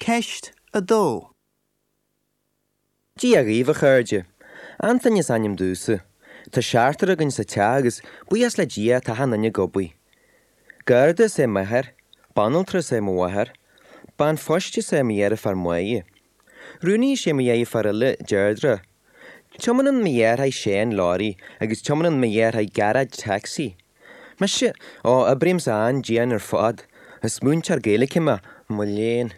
Ceist 2. Dia dhaoibh, a chairde. Antaine is ainm domhsa. Tá seachtar againn sa teach agus, buíochas le Dia, tá achan duine ag obair. Garda is ea m'athair, banaltra is ea mo mháthair, bean phoist is ea mo dheirfiúr Máire. Rúnaí is ea mo dheirfiúr eile, Deirdre. Tiomáineann mo dheartháir Séan leoraí agus tiomáineann mo dheartháir Gearóid tacsaí. Mise? Ó, oibrímse an-dian ar fad. Is múinteoir Gaeilge mé, mo léan.